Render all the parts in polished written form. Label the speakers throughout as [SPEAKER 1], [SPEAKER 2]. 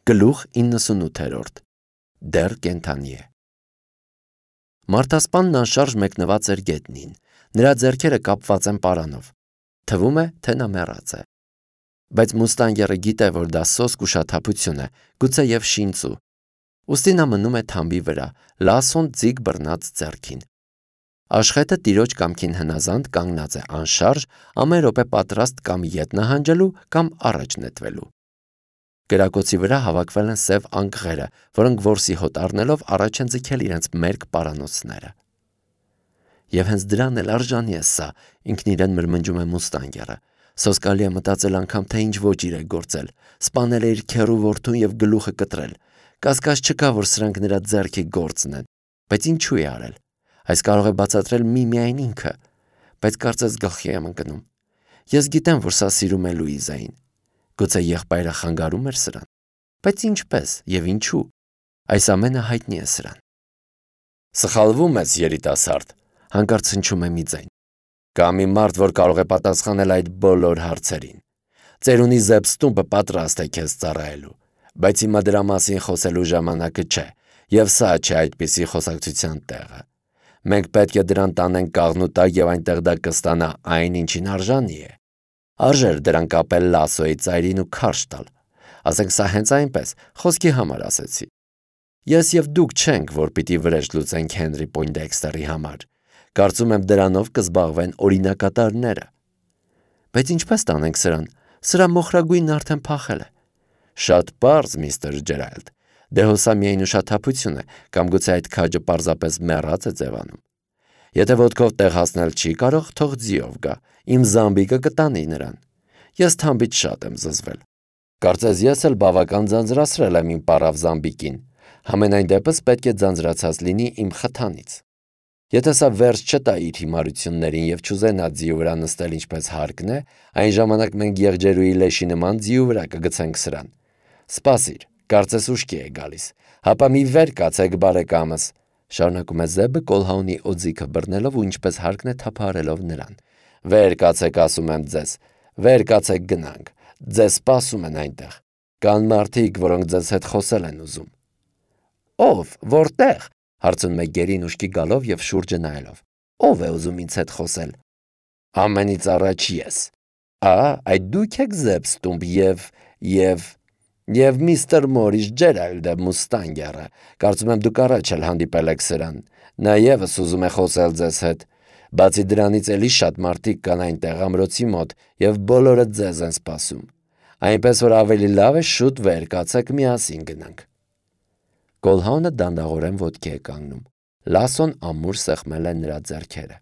[SPEAKER 1] Գլուխ 98 Դեռ կենդանի է։ Մարդասպանն անշարժ մեկնված էր գետնին, նրա ձեռքերը կապված են պարանով, թվում է, թե նա մեռած է։ Բայց մուստանգերը գիտե, որ դա սոսկ ուշաթափություն է, գուցե և շինծու, ուստի նա մնում է թամբի վրա, լասոն ձիգ բռնած ձեռքին։ Աշխետը տիրոջ կամքին հնազանդ կանգնած է անշարժ, ամեն րոպե պատրաստ կամ ետ նահանջելու, կամ առաջ նետվելու։ Կրակոցի վրա հավաքվել են սև անկղերը, որոնք որսի հոտ առնելով առաջ են ձգել իրենց մերկ պարանոցները։ Եվ հենց դրան էլ արժանի է սա, ինքն իրեն մրմնջում է մուստանգերը։ Սոսկալի է մտածել անգամ, թե ինչ ոճիր է գործել, սպանել է իր քեռու որդուն և գլուխը կտրել։ Կասկած չկա, որ սրանք նրա ձեռքի գործն են, բայց ինչու է արել։ Այս կարող է բացատրել միմիայն ինքը, բայց կարծես գլխի եմ ընկնում։ Ես գիտեմ, որ սա սիրում է Լուիզային։ Գուցե եղբայրը խանգարում էր սրան, բայց ինչպես և ինչու, այս ամենը հայտնի է սրան։
[SPEAKER 2] Սխալվում ես, երիտասարդ,
[SPEAKER 1] հանկարծ հնչում է մի ձայն։
[SPEAKER 2] Կա մի մարդ, որ կարող է պատասխանել այդ բոլոր հարցերին։ Ծերունի զեպստումպը պատրաստ է քեզ ծառայելու, բայց հիմա դրա մասին խոսելու ժամանակը չէ, և սա չէ այդպիսի խոսակցության տեղը։ Մենք պետք է դրան տանենք կաղնուտակ և այնտեղ դա կստանա այն, ինչին արժանի է։ Արժեր դրան կապել լասոյի ծայրին ու քարշ տալ։ Ասենք սա հենց այնպես, խոսքի համար ասեցի։ Ես և դուք չենք, որ պիտի վրեժ լուծենք Հենրի Պոյնդեքստերի համար։ Կարծում եմ դրանով կզբաղվեն օրինակատարները։
[SPEAKER 1] Բայց ինչպես տանենք սրան, սրա մոխրագույնն արդեն փախել է։
[SPEAKER 2] Շատ պարզ, միստր Ջերալդ,
[SPEAKER 1] դե հոսա միայն ուշաթափություն է, կամ գուցե այդ քաջը պարզապես մեռած է ձևանում։
[SPEAKER 2] Եթե ոտքով տեղ հասնել չի կարող, թող ձիով գա, իմ զամբիկը կտանի նրան։ Ես թամբից շատ եմ զզվել։ Կարծես ես էլ բավական ձանձրացրել եմ իմ պառավ զամբիկին, համենայն դեպս պետք է ձանձրացած լինի իմ խթանից։ Եթե սա վերջ չտա իր հիմարություններին և չուզենա ձիու վրա նստել ինչպես հարկն է, այն ժամանակ մենք եղջերուի լեշի նման ձիու վրա կգցենք սրան։ Սպասիր, կարծես ուշքի է գալիս, հապա մի վեր կացեք բարեկամս,
[SPEAKER 1] շարունակում է Զեբը Կոլհաունի օձիքը բռնելով ու ինչպես հարկն է թափահարելով նրան։
[SPEAKER 2] Վեր կացեք, ասում եմ ձեզ, վեր կացեք գնանք, ձեզ սպասում են այնտեղ, կան մարդիկ, որոնք ձեզ հետ խոսել են ուզում։
[SPEAKER 1] Ով, որտեղ, հարցնում է գերին ուշքի գալով և շուրջը նայելով։ Ով է ուզում ինձ հետ խոսել։
[SPEAKER 2] Ամենից առաջ ես։ Այդ դուք եք Զեպստումպ և միստր Մորիս Ջերալդը մուստանգերը, կարծում եմ դուք առաջ էլ հանդիպել եք սրան, նա ևս ուզում է խոսել ձեզ հետ, բացի դրանից էլի շատ մարդիկ կան այնտեղ ամրոցի մոտ և բոլորը ձեզ են սպասում, այնպես որ ավելի լավ է շուտ վեր կացեք միասին գնանք։
[SPEAKER 1] Կոլհաունը դանդաղորեն ոտքի է կանգնում, լասոն ամուր սեղմել է նրա ձեռքերը։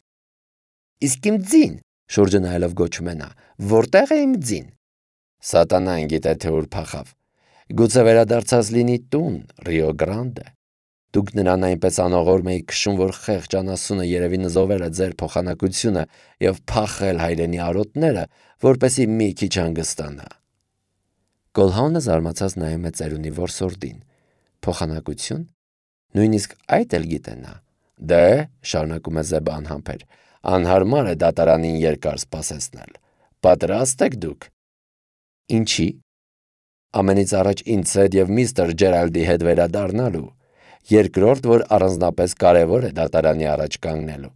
[SPEAKER 2] Իսկ իմ ձին,
[SPEAKER 1] շուրջը նայելով գոչում է նա, որտեղ է իմ ձին։
[SPEAKER 2] Սատանան գիտե, թե ուր փախավ։ Գուցե վերադարձած լինի տուն, Ռիո Գրանդե։
[SPEAKER 1] Դուք նրան այնպես անողորմ էիք քշում, որ խեղճ անասունը երևի նզովել է ձեր փոխանակությունը և փախել հայրենի արոտները, որպեսզի մի քիչ հանգստանա։ Կոլհաունը զարմացած նայում է ծերունի որսորդին։ Փոխանակություն։ Նույնիսկ այդ էլ գիտե նա։
[SPEAKER 2] Դե, շարունակում է Զեբը անհամբեր, անհարմար է դատարանին երկար սպասեցնել։ Պատրաստ եք դուք։
[SPEAKER 1] Ինչի։
[SPEAKER 2] Ամենից առաջ ինձ հետ և միստր Ջերալդի հետ վերադառնալու, երկրորդ, որ առանձնապես կարևոր է դատարանի առաջ կանգնելու։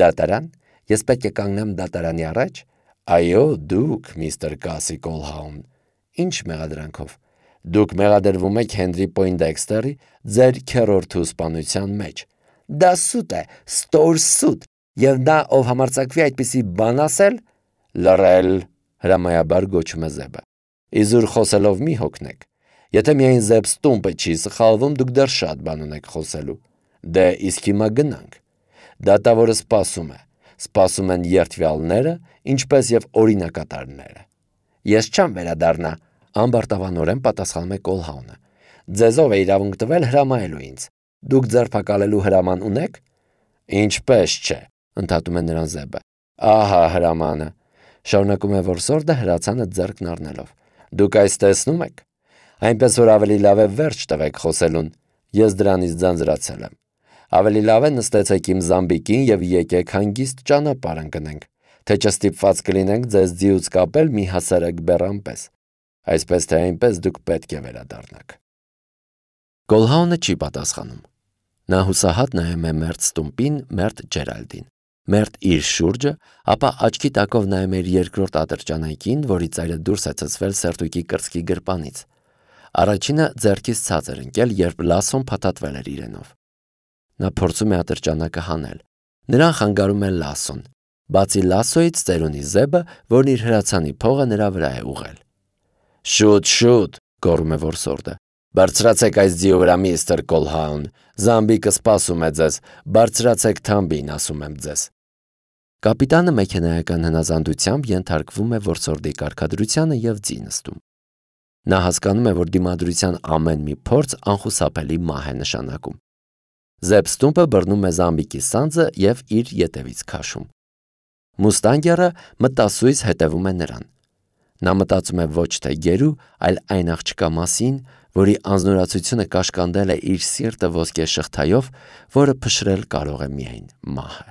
[SPEAKER 1] Դատարան։ Ես պետք է կանգնեմ դատարանի առաջ։
[SPEAKER 2] Այո, դուք, միստր Կասի Կոլհաուն։
[SPEAKER 1] Ինչ մեղադրանքով։
[SPEAKER 2] Դուք մեղադրվում եք Հենրի Պոյնդեքստերի ձեր քեռորդու սպանության մեջ։
[SPEAKER 1] Դա սուտ է, ստոր սուտ, և նա, ով համարձակվի այդպիսի բան ասել։
[SPEAKER 2] Լռել,
[SPEAKER 1] հրամայաբար գոչում է Զեբը։
[SPEAKER 2] Իզուր խոսելով մի հոգնեք։ Եթե միայն Զեպստումպը չի սխալվում, դուք դեռ շատ բան ունեք խոսելու։ Դե իսկ հիմա գնանք։ Դատավորը սպասում է։ Սպասում են երդվյալները, ինչպես և օրինակատարները։
[SPEAKER 1] Ես չեմ վերադառնա, ամբարտավանորեն պատասխանում է Կոլհաունը։
[SPEAKER 2] Ձեզ ով է իրավունք տվել հրամայելու ինձ։ Դուք ձերբակալելու հրաման ունեք։ Ինչպես չէ,
[SPEAKER 1] ընդհատում է նրան Զեբը։
[SPEAKER 2] Ահա հրամանը,
[SPEAKER 1] շարունակում է որսորդը հրացանը ձեռքն առնելով։
[SPEAKER 2] Դուք այս տեսնում եք։ Այնպես որ ավելի լավ է վերջ տվեք խոսելուն։ Ես դրանից ձանձրացել եմ։ Ավելի լավ է նստեցեք իմ զամբիկին և եկեք հանգիստ ճանապարհ ընկնենք, թե չստիպված կլինենք ձեզ ձիուց կապել մի հասարակ բեռան պես։ Այսպես թե այնպես դուք պետք է վերադառնաք։
[SPEAKER 1] Գոլհաունը չի պատասխանում։ Նա հուսահատ նայում է մերթ Ստումպին, մերթ Ջերալդին, մերթ իր շուրջը, ապա աչքի տակով նայում է իր երկրորդ ատրճանակին, որի ծայրը դուրս է ցցվել սերտուկի կրծքի գրպանից։ Առաջինը ձեռքից ցած էր ընկել, երբ Լասոն փաթաթվել էր իրենով։ Նա փորձում է ատրճանակը հանել։ Նրան խանգարում է Լասոն։ Բացի Լասոյից ծերունի Զեբը, որն իր հրացանի փողը նրա վրա է ուղղել։
[SPEAKER 2] Շուտ, գոռում է որսորդը։ Բարձրացեք այս ձիու վրա, միստր Կոլհաուն, Զամբիկը սպասում է ձեզ, բարձրացեք թամբին, ասում եմ ձեզ։
[SPEAKER 1] Կապիտանը մեքենայական հնազանդությամբ ենթարկվում է որսորդի կարգադրությանը և ձի նստում։ Նա հասկանում է, որ դիմադրության ամեն մի փորձ անխուսափելի մահ է նշանակում։ Զեբ Ստումպը բռնում է Զամբիկի սանձը և իր ետևից քաշում։ Մուստանգերը մտասույզ հետևում է նրան։ Նա մտածում է ոչ թե գերու, այլ այն աղջկա մասին, որի անձնուրացությունը կաշկանդել է իր սիրտը ոսկե շղթայով, որը փշրել կարող է միայն մահը։